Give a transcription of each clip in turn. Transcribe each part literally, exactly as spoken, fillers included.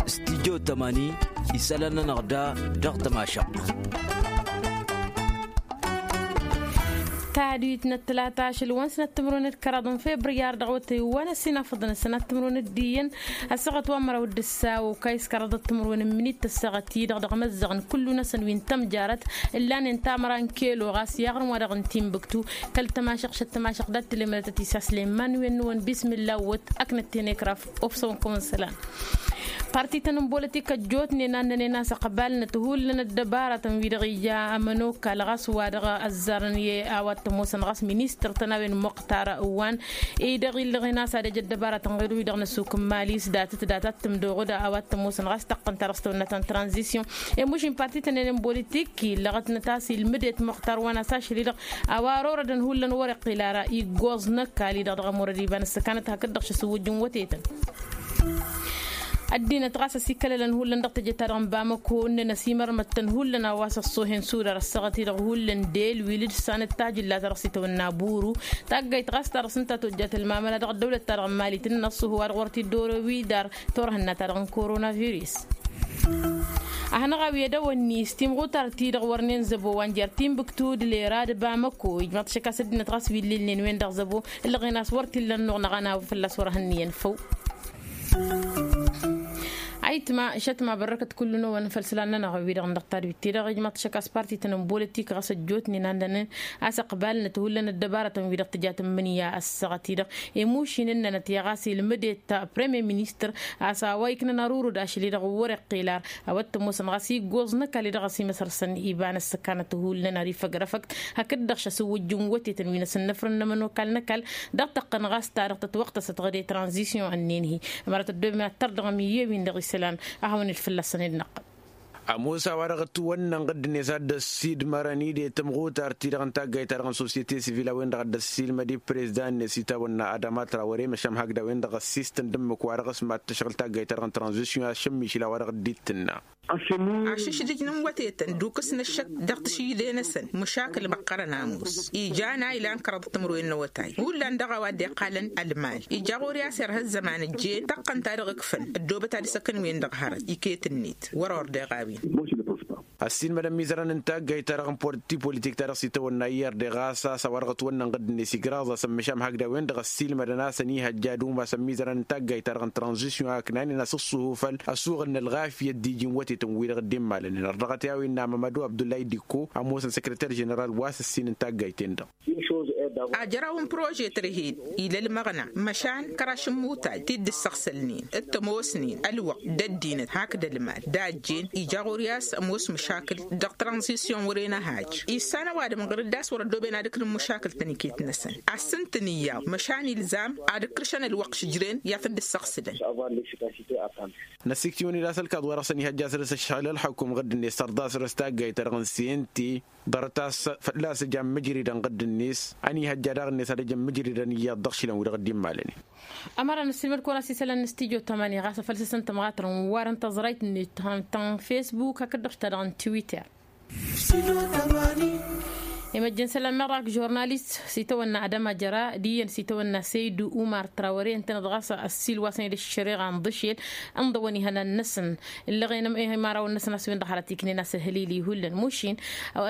Studyo tămani isălan-nănăɣ da dăɣ-tămašăɣt. Tadwit n-ăttălata ašăl wa n-sănat timǝrwen d-kăraḍ n-febriyar dăɣ-wătăy wa n-ăsinafăḍăn sănat timǝrwen d-iyyăn ăssaɣăt wa n-măraw d-ǝssa okayǝs kăraḍăt timǝrwen n-minit tăssaɣăt-i-dăɣ dăɣ-măzzăɣăn kullu-năsăn wi n-tămjarăt ǝllanen tamăra n-kelo ɣas i-aɣrǝm wa dăɣ-n timbǝktu. Kăl-tămašăɣ šăt tămašăɣ dat-tǝlemădătăt isaslen man-wen-năwăn bismilla wăt ăknăt tenekraf. Ofsăwăn kăwăn-sălan. Partităn n-bolătik ăjjootnen a ǝnnănen a-s ăqbalnăt hullan ăddăbaratăn-wi-dăɣ ija ămănokal ɣas wa dăɣ-ăzzarăn i-a-wa t-ămoosăn ɣas ministăr-tăn a-wen muqtar wa n-i-dăɣ illăɣen a-s ad-ăj ăddăbaratăn ɣir-wi-dăɣ n-ăssuk n-mali s-datăt datat tǝmdoɣăd a-wa t-ămoosăn ɣas tăqqăn ta dăɣ-s tăwănna ta n-tranzisyon. I-mušin partităn-en n-bolătik illăɣătnăt a-s ilmǝdet muqtar wa n-a-s ašăl-i-dăɣ a-wa ărorădăn hullan wăr-iqqil ara iggoẓ n-ăkall-i-dăɣ dăɣ-ămurăd iba n-ǝssăkanăt hakd-dăɣ šăsǝwwǝjjǝn wătetăn. Ăddinăt ɣas ăsikălălăn hullan dăɣ-teje-ta-dăɣ n-bamăko ǝnnăn ăsimărmăttăn hullan a-wa s-ăṣṣohen sudar ăssaɣăt-i-dăɣ hullan delwil d-sanăt tajǝlla ta dăɣ-s itawănna buru. Taggayt ɣas ta dăɣ-s ǝnta tojjat ălmamăla dăɣ-ăddăwlăt-ta-dăɣ n-mali tǝnnăn ăṣṣuhu wa dăɣ-wăr t-dd-orowi dar turhǝnna-ta-dăɣ n-koronavirus. Ahănăɣ-awi ad-ăwănni s-timɣutar-ti-dăɣ wărnen zăbo wa n-jer-timbǝktu d-lera d-bamăko ijmăḍ šăk a-s ăddinăt ɣas wi ǝllilnen-wen dăɣ-zăbo. Ǝllăɣen a-s wăr t-illa ănnuɣ năɣ ănawăn fălla-s wăr hănniyăn făw. Ayǝtma šătma bărrăkăt kullu-năwăn făll-isălan-nănăɣ wi-dăɣ n-dăɣ tadwit-ti-dăɣ ijmăḍ šăk a-s partităn n-bolătik ɣas ăjjootnen a ǝndănen a-s ăqbalnăt hullan ăddăbaratăn-wi-dăɣ tǝjat n-imǝnǝya ăssaɣăt-i-dăɣ. I-mušin ǝnnănăt i-ɣas ilmǝdet premier ministăr a-s a-wa iknăn arurǝd ašăl-i-dăɣ wăr-iqqil ar a-wa t-ămoosăn ɣas iggoẓ n-ăkall-i-dăɣ ăsimăsăr-săn iba n-ăssăkanăt hullan ar ifăgrăfăkt hakd-dăɣ šăsǝwwǝjjǝn wătetăn wi n-asǝnnăfrăn n-ămănokal n-ăkall. Dăɣ-tăqqăn ɣas ta dăɣ-tătwăqtăsăt ɣǝde tranzisyon ǝnnin-hi ămărat ăddoben ad-tărdăɣăm iyyăn-win-dăɣ isălan. A hawăn-dd fălla-săn ed năqqăl. Ămoos a-wa-dăɣ ătwănnănɣ dd-net ad-dd-ăssiidmărăn i-de tămɣutar-ti-dăɣ n-taggayt-ta-dăɣ n-sosyete sivil a-wen-dăɣ ad-dd-ăssiilmăd i-prezdan-net itawănna adama trawăre măšan hakd a-wen-dăɣ ăssiistăn d-ǝmmǝk wa dăɣ-s mad-tăšɣǝl taggayt-ta-dăɣ n-tranzisyon a-s šămmišǝl a-wa dăɣ-dd-ittǝnna. Ašǝšdǝj n-wătetăn d-ukǝs n-ăššăk dăɣ-tǝšǝjde-năsăn măšakǝl măqqărăn ămoos ija n-a ilan kăraḍăt timǝrwen n-awătay hullan dăɣ-a-wa dd-iqqalăn ălmal ija ɣur-i a-s irha ăzzăman ǝjjen tăqqăn ta dăɣ-ǝkfăn ăddoobăt ad-ǝsăkăn wen-dăɣ hărăt iket-net wăr-ordeɣ a-wen. Ăssiilmădăn imizărăn n-taggayt-ta-dăɣ n-parti politik-ta-dăɣ s-itawănna i-r d-e ɣas a-s a-wa dăɣ-ătwănnănɣ dd-net igraẓ-asăn măšan hakd a-wen-dăɣ ăssiilmădăn a-s ănihăjja ad-umas ămmizărăn n-taggayt-ta-dăɣ n-tranzisyon a ǝknanen a-s ǝṣṣuhu făll-ăsuɣǝl n-ălɣafyăt d-iji n-wătetăn-wi-dăɣ dd-immalănen ărdăɣăt i-a-wen n-a mămădu abdullay dikko ămoosăn săkrăter ženeral wa s-ǝssin n-taggayt-en-dăɣ. Ajăraw n-prože tărhed ila ălmăɣna măšan kăraš n-imutaj ti dd-ǝssăɣsălnen d-tămoosnen ălwăqq d-ăddinăt hakd ălmal d-a ăjjeen ija ɣur-i a-s ămoos măšakǝl dăɣ-tranzisyon wăren ăhaj issan ăwadǝm ɣǝr-dd a-s wăr-ăddooben ad-ǝknǝn măšakǝl-tăn iket-năsăn ad-sǝntǝnǝyyaḍ măšan ilzam ad-ǝkkăršăn ălwăqq šǝjren i-ad-tăn-dd-ǝssăɣsǝlăn. Năsiktiwăn-dd a-s ălkaḍ wa dăɣ-săn ihăjja săr-s ăššăɣǝl ălxukum ɣǝr-dd-net sărḍa săr-s taggayt-ta-dăɣ n-sente ḍarăt a-s fălla-s ăj ammǝjridăn ɣǝr-dd-net ănihăjja daɣ-net ad-ăj ammǝjridăn iyyăḍ dăɣ-išilan wi-dăɣ dd-immalănen. Ămăra n-ăssiilmăd-kăwăn a-s isălan n-studyo tamani ɣas a făl s-ăsăn tămɣatăr n-warăn tăẓrayt-net ta n-facebook hakd-dăɣ ta dăɣ-n twitter. Imăjjăn isălan meɣ dăɣ-ak žurnalist s-itawănna adama jăra d-iyyăn s-itawănna săydu umar trawăre ǝntăneḍ ɣas ăssiil wa săn ed ăššăreɣa n-iḍǝšel ǝnḍăwăn ihănan-năsăn ǝllăɣen imărawăn-năsăn a-s wen-dăɣ hărăt iknen a-s ăhălil ihullan mušin.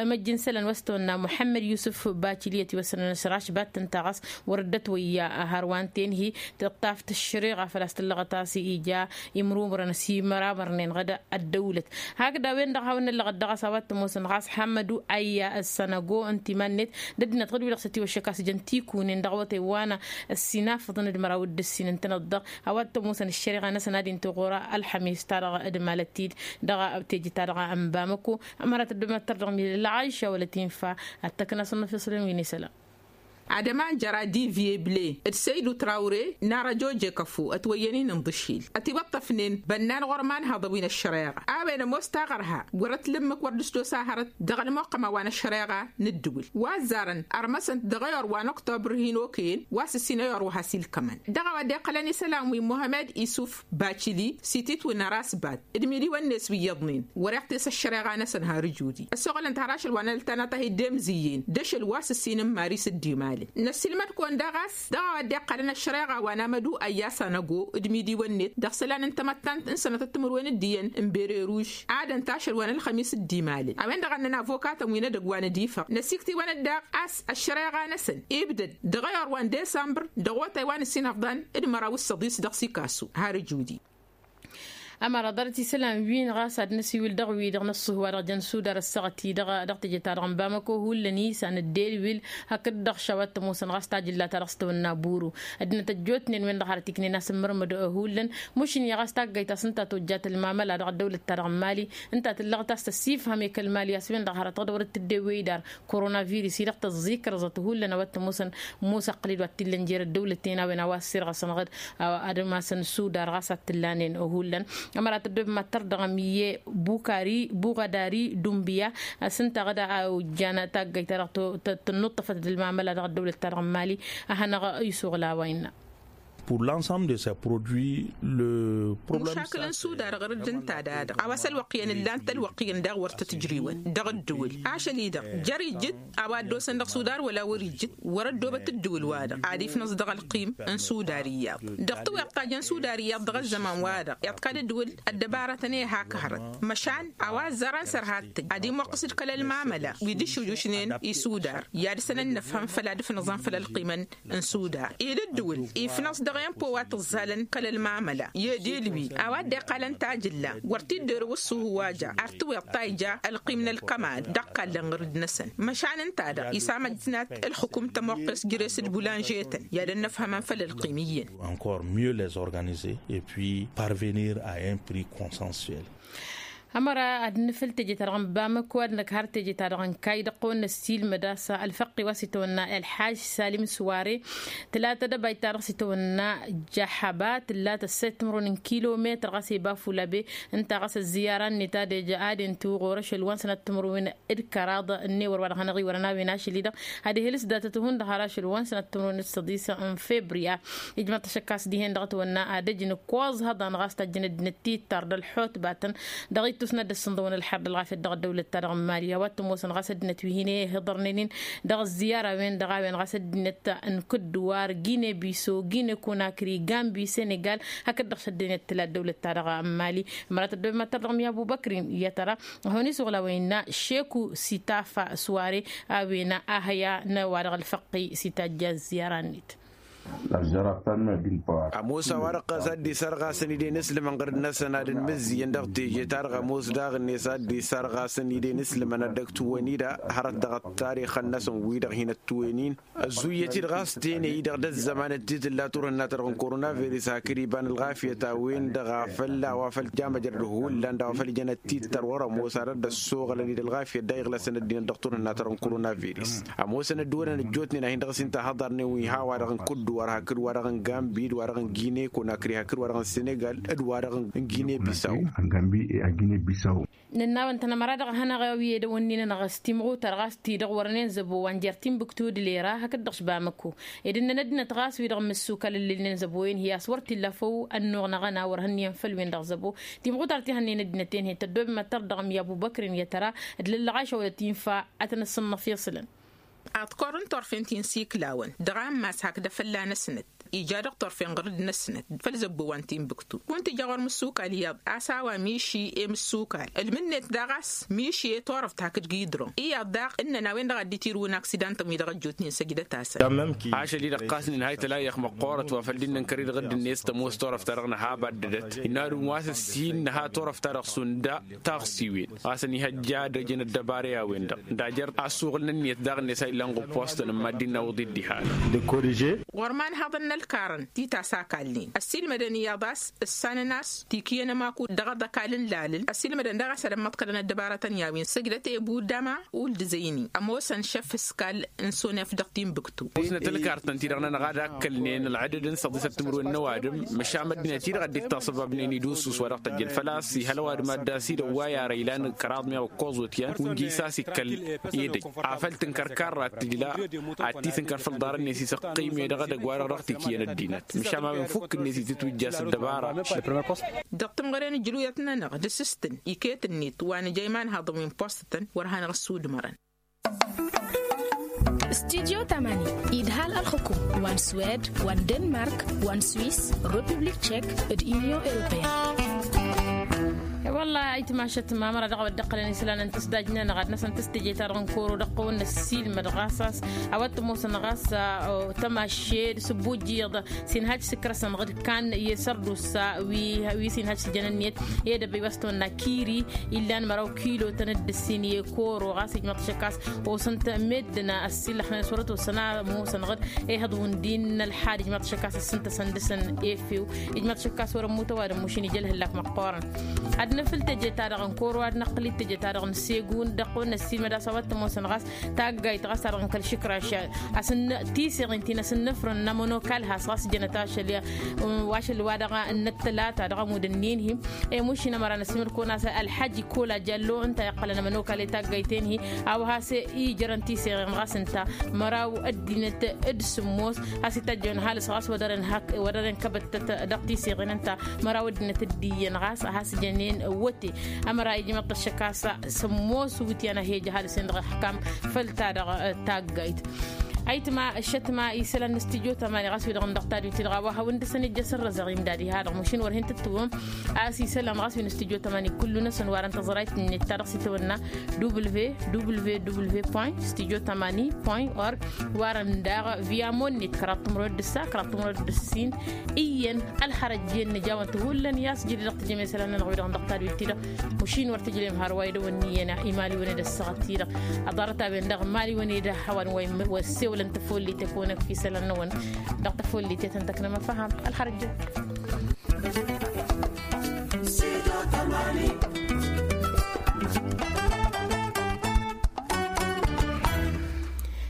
Imăjjăn isălan wa s-tawănna muḥămmăd yusǝf bacili ătiwăsănăn s-rašbat ǝnta ɣas wăr dd-ătwăyya hărwa n-tenhi tǝṭṭaf tăššăreɣa făl-a-s tǝllăɣăt a-s ija imrumrăn ăsimăramărnen ɣǝd ăddăwlăt. Hakd a-wen-dăɣ hawăn-năllăɣăt dăɣ-a-s a-wa t-ămoosăn ɣas ḥămmădu ayya ăssănăgo ǝnta iman-net d-ăddinăt ɣǝd-wi-dăɣ s-ătiwăššăk a-s jăn tikun-en dăɣ-awătay wa n-ăssinafăḍăn d-măraw d-ǝssin ǝntăneḍ-dăɣ a-wa t-ămoosăn ăššăreɣa-năsăn ad-inta ɣur-ălxămes-ta-dăɣ d-malăt-t-dd dăɣ-teje-ta-dăɣ n-bamăko. Ămărat ăddooben ad-tărdăɣ milăl ɣayša wăla tinfa ad-tăkna s-ănnăfeṣălăn wi n-isălan. Adăman jăra diviye ble d-săydu trawre n-arăjoje kăfo ătwăyyăn-in n-iḍǝšil ătiwăṭṭăfnen bănnan ɣur-imanhăḍăn wi n-ăššăreɣa a-wen ămoos taɣărha wăr-ătlǝmmǝk wăr dd-ăstos ahărăt dăɣ-ălmuqqăm a-wa n-ăššăreɣa n-ǝddǝwǝl wa ăzzarăn ărmăsăn-t dăɣ-eyăr wa n-oktobăr hin-okăyăn wa s-ǝssin eyăr wa has-ilkămăn dăɣ-a-wa dd-iqqălăn isălan wi muhămed isuf bacili s-ititwǝn ărasbat d-miliwăn-net wi iyyăḍnen wăr-iɣtes ăššăreɣa-năsăn har ǝjudi ăssoɣălăn-t har ašăl wa n-ăltanăt a hi-dd-emzǝyyen d-ašăl wa s-ǝssin n-maris d-imay. Năssiilmăd-kăwăn daɣ a-s dăɣ-a-wa dd-iqqalăn ăššăreɣa wa n-amădu ăyya s-anăgo d-imidiwăn-net dăɣ-isălan n-tamăttant n-sănătăt timǝrwen d-iyyăn n-berăruž. Adăn-t ašăl wa n-ălxămis d-imalăn a-wen-dăɣ a ǝnnăn avokatăn wi n-edăgg wa n-ad-ifăɣ năsiktǝy-wăn-dd daɣ a-s ăššăreɣa-năsăn ibdăd dăɣ-ayăr wa n-desămbăr dăɣ-otay wa n-ǝssin ăfḍan d-măraw s-săḍis dăɣ-sikasu. Har ǝjudi. Ămăra ḍarăt isălan-win ɣas ad-năsiwǝl dăɣ-wi-dăɣ n-ăṣṣuh wa-dăɣ jăn sudar ăssaɣăt-i dăɣ-teje-ta-dăɣ n-bamăko hullan-i s-anăddelwǝl hakd-dăɣ šawa t-ămoosăn ɣas tajǝlla-ta-dăɣ s-tawănna buru. Ăddinăt ăjjootnen-wen-dăɣ hărăt iknen a-s ǝmmărmăd hullan mušǝnni ɣas taggayt a-s ǝnta tojjat ălmamăla dăɣ-ăddăwlăt-ta-dăɣ n-mali ǝnta tǝllăɣ ta s-tăsifhăm i-kăl-mali a-s wen-dăɣ hărăt dăɣ-dăwrăt tǝddew wăy-dar. Koronavirus-i-dăɣ tăẓẓikrăẓăt hullan a-wa t-ămoosăn musa ăqqǝl-i d-wa t-illăn jer-ăddăwlăt-ten a-wen a-wa ăssirɣăsăn ɣǝd ad-ămasăn sudar ɣas ad-t-ǝllanen. Hullan ămăra tăddob mad-tărdăɣăm i-bukari buɣadari dumbiya a-s ǝnta ɣǝd a ojjan taggayt-ta-dăɣ tănnuṭṭăfăt d-ălmamăla dăɣ-ăddăwlăt-ta-dăɣ n-mali. A hanăɣ-iswăɣ lawa innă. Pour l'ensemble de ces produits le problème. Mušakǝl n-sudar ɣur-dd ǝnta d-ad-dăɣ a-wa s-ălwăqq iyyăn ǝllan-t ălwăqq iyyăn daɣ wăr tăt-ǝjriwăn dăɣ-ǝddǝwǝl ašăl-i-dăɣ jer-ijǝt a-wa ăddoosăn dăɣ-sudar wăla wăr-ijǝt wăr-ăddoobăt ǝddǝwǝl-wa-dăɣ ad-ifnăẓ dăɣ-ălqim n-sudar iyyăḍ. Dăɣ-tiweḍt ta jăn sudar iyyăḍ dăɣ-ăzzăman-wa-dăɣ iḍkad ǝddǝwǝl ăddăbarătăn i-hak hărăt măšan a-wa ăzzarăn săr ha t-tǝj ad-imwăqqǝs d-kăl-ălmamăla wi dd-išujjušnen i-sudar. I-ad-săn ănnăfhăm făll-ad-ǝfnăẓăn făll-ălqimăn n-sudar ed ǝddǝwǝl ifnăẓ dăɣ-empo wa tǝẓẓalăn kăl-ălmamăla i-edil wi a-wa dd-iqqalăn tajǝlla wăr t-dd-erǝw ǝṣṣuhu wa ja ar tǝwiḍ ta ija ălqim n-ălkămad dăɣ-kallăn ɣǝr-dd-năsăn. Măšan ǝnta-dăɣ isamăjnat ălxǝkum tămoqqes jere-s d-bulanže-tăn i-ad-ănnăfhămăn făll-ălqim iyyăn. Encore mieux les organiser et puis parvenir à un prix consensuel. Ămăra ad-nǝfǝl teje-ta-dăɣ n-bamăko ad-năkhar teje-ta-dăɣ n-kay dăɣ-kăwăn-năssiilmăd a-s ălfăqqi wa s-itawănna ălḥaj salim s-ware. Tǝla tadăbayt-ta-dăɣ s-itawănna jăhăba tǝlla tăsset timǝrwen n-kilometăr ɣas i-bafulabe. Ǝnta ɣas ăzziyara-net ad-ejă ad-intu ɣur-ašăl wa n-sănăt timǝrwen d-kăraḍ ănnewăr wa dăɣ-hanăɣ-iwărăn a-wen ašăl-i-dăɣ ad-ihǝlǝs datăt-hund har ašăl wa n-sănăt timǝrwen d-săḍis n-februya. Ijmăḍ tašăkkast dihen dăɣ-tawănna ad-ăj n-ǝkkoẓ hăḍan ɣas tajjăn ăddinăt tittar d-ălḥutbatăn dăɣ-ittus n-ad-dd-ăssǝnḍăwăn ălxer d-ălɣafyăt dăɣ-ăddăwlăt-ta-dăɣ n-mali a-wa t-ămoosăn ɣas ăddinăt wi hin-ihǝḍărnen-in dăɣ-ăzziyara-wen-dăɣ a-wen ɣas ăddinăt n-kǝddǝwar gine biso gine konakri gambi senegal. Hakd-dăɣ šăddinăt tǝla ăddăwlăt-ta-dăɣ n-mali. Mărat ăddăwlăt mad-tărdăɣ mi-abubăkrin i-ad-tăra ad-hawăn-isuɣ la wa innă šeku sitafa s-ware a-wen ahăya n-wa-dăɣ ălfăqqi s-itajja ăzziyara-net. Ămoos a-wa-dăɣ ɣas ad-dd-isarɣasăn ide n-islǝmăn ɣǝr-dd-năsăn ad-ănmǝzzǝyăn dăɣ-teje-ta-dăɣ ămoos daɣ-net ad-dd-isarɣasăn ide n-islǝmăn ad-dd-ăgg-tǝwăn-i-da hărăt dăɣ-ăttarixăn-năsăn wi-dăɣ hin-ăttǝwen-in. Ăzzuyyăt-dd ɣas tenăy-i-dăɣ d-ăzzăman d-titǝlla turhǝnna-ta-dăɣ n-koronavirus hakd iba n-ălɣafyăt a-wen-dăɣ a fălla a-wa făl jamăjrăd hullan d-a-wa făl jăn ăttittăr wăr-ămoos ad-ădda ăssoɣălăn-dd ălɣafyăt daɣ iɣlăsăn ăddinăt dăɣ-turhǝnna-ta-dăɣ n-koronavirus. Ămoosăn ădduwănăn ăjjootnen a hin-dăɣ-s inta hăḍarnen wi ha-wa-dăɣ n-kǝdduwar hakd wa-dăɣ n-gambi d-wa-dăɣ n-gine konakri hakd wa-dăɣ n-senegal d-wa-dăɣ n-gine bisaw. Nǝnnawăn-tăn ămăra dăɣ-hanăɣ-i edăwănnin-anăɣ s-timɣutar ɣas ti-dăɣ wărnen zăbo wa n-jer-timbuktu d-lera hakd-dăɣ s-bamăko. Ed ǝnnăn ăddinăt ɣas wi-dăɣ n-imǝssukal ǝllǝlnen zăbo-en hi-a-s wăr t-illa făw ănnuɣ năɣ-ăna wăr hănniyăn făll-wen-dăɣ zăbo. Timɣutar ti hănnen ăddinăt-en hi-tăddoobem ad-tărdăɣăm i-abubăkrin i-ad-tăra d-lăllăɣ ašăwălăt infa ad-tăn-ăssǝnnăf iṣlăn. Aḍkor n-turfen ti n-siklawăn dăɣ-ammas hakd afălla-năsnăt ija dăɣ-turfen ɣǝr-dd-năsnăt făll-zăbbo wa n-timbuktu kunta ija ɣur-mǝssukal iyyăḍ a-s a-wa miši i-mǝssukal ǝlmǝnnet daɣ a-s miši i-turăft hakd gidron iyyăḍ daɣ ǝnnăn a-wen-dăɣ a dd-itirǝw n-aksidantăn wi-dăɣ ăjjootnen săjdăt-asăn. Ašăl-i-dăɣ ɣas nǝnhăy tălayăx măqqoorăt wa făl dd-nǝnkăr-dd ɣǝdd-net tămoos turăft-ta-dăɣ nǝha abaddădăt innă ad-unwa s-ǝssin nǝha turăft-ta-dăɣ šund taɣsiwen ɣas ănihăjja ad-ăjăn ăddăbara i-a-wen-dăɣ d-ajăr asuɣǝl n-ǝnniyăt daɣ-net a illan ɣǝppoostăn n-mad-dd-innă awǝḍ-i dd-iha. Dăkk-odže. Ɣur-iman haḍăn n-ălkarăn ti tasakalnen ăssiilmădăn iyyăḍ a-s ǝssanăn a-s tikǝyăn ămaku dăɣ-aḍăkal n-lalǝl ăssiilmădăn daɣ a-s ad-ămmăḍkălăn ăddăbarătăn i-a-wen săjdăt i-budama uldǝzăyni ămoosăn šăf ǝskal n-sonef dăɣ-timbuktu. Ămoosnăt ălkartăn-ti-dăɣ-nănăɣ ad-akkălnen ălɣădăd n-săḍisăt timǝrwen n-ăwadǝm măšan măddinăt-i-dăɣ a dd-ittasăbabnen idusus wa dăɣ-tăjjăn făl-a-s ihăl ăwadǝm ad-dd-asidăw wa i-ara ilan kăraḍ meɣ ǝkkoẓ wăt-yan wi n-jis a-s ikkăl edăj afăl tǝnkăr karra tǝjla ad-t-tǝnkăr făll-ḍarăn-net isăqqime dăɣ-edăgg wa-dăɣ dăɣ-tikǝyăn ăddinăt măšan a-wen fukk-net itǝtwǝjja s-ăddăbara. Dăɣ-tǝmɣăre n-ǝjrǝwet-nănăɣ d-asǝstǝn iket-net wa nǝja imanhaḍăn wi n-postătăn wăr hanăɣ-ăssudmărăn. Studyo tamani idhal ălxukum wa n-swed wa n-denmark wa n-swis, republik tšek, d-inyon europeyăn. Wăllah aytmašăt mamăra dăɣ-a-wa dd-ăqqălăn isălan n-tǝsdajnen ɣad-năsăn tǝstǝje-ta-dăɣ n-kăwăr-u dăɣ-tăwăn n-ăssiilmăd ɣas a-s a-wa t-ămoosăn ɣas tămašed s-ăbbuj iyyăḍ s-inhaj s-ikrăsăn ɣǝd-kan i-sărdusa wi s-inhaj s-ijăn ǝnniyăt i-edăbăy wa s-tăwănna kiri illan măraw kilotăn d-ǝssin i-kăwăr-u ɣas ijmăḍ-t ašăk a-s osăn-t meddǝn ăssiilăxnen s-wăr-ătwăssăn a ămoosăn ɣǝd ehăḍ wǝndin n-ălxad ijmăḍ-t ašăk a-s ǝssǝntăsăn dăɣ-săn efew. Ijmăḍ-t ašăk a-s wăr-ămmut ăwadǝm mašin ija ălhǝllak măqqoorăn ad-nǝfǝl teje-ta-dăɣ n-kăwăr-u ad-năqqǝl-dd teje-ta-dăɣ n-segun dăɣ-wăn ăssiilmăd a-s a-wa t-ămoosăn ɣas taggayt ɣas ta-dăɣ n-kăl-išǝkraš a-s n-tiseɣin ti n-asǝnnăfrăn n-amănokal has-ɣas jănăt-ašăl i-ašăl wa dăɣ-năttălata dăɣ-amud ǝnnin-hi. I-mušin ămăra n-ăssimăl-kăwăn a-s ălḥăj kola jallo ǝnta iqqălăn amănokal i-taggayt-en-hi a-wa has-ijărăn tiseɣin ɣas ǝnta măraw ăddinăt d-sǝmmos has-itajjăwăn ăhalǝs ɣas wăr dăr-en kăbăttăt dăɣ-tiseɣin ǝnta măraw ăddinăt d-iyyăn ɣas a has-jănen wăte. Ămăra ijmăḍ-t ăššăk a-s sămmos wǝtyan a he-ija ăhalǝs-en dăɣ-ăxkam făll-ta-dăɣ taggayt. Ayǝtma ăššătma isălan n-studyo tamani ɣas wi-dăɣ n-dăɣ tadwit-ti-dăɣ a-wa hawăn-dd-săn ija sărrăzăɣ imdad iha-dăɣ mušin wăr hin-tǝttǝwăm. A-s isălan ɣas wi n-studyo tamani kullu-năsăn warăn tăẓrayt-net ta dăɣ-s itawănna www studyo tamani point org. Warăn daɣ via monnet kăraḍ timrăwăt d-ǝssa kăraḍ timrăwăt d-ǝssin. Iyyăn ălxărăjjen nǝjawăn-t hullan i-a-s jădid dăɣ-tijăm isălan-nănăɣ wi-dăɣ n-dăɣ tadwit-ti-dăɣ. Mušin wăr tǝjlem hărwa idăwăn n-iyyăn imaliwăn-ed ăssaɣăt-ti-dăɣ. Ăḍarăt a-wen dăɣ-imaliwăn-ed a hawăn wa issewălăn tăfollit i-kăwănăk fi isălan-năwăn. Dăɣ-tăfollit i-tăn-tăknăm ăfăham ălxărăjjen.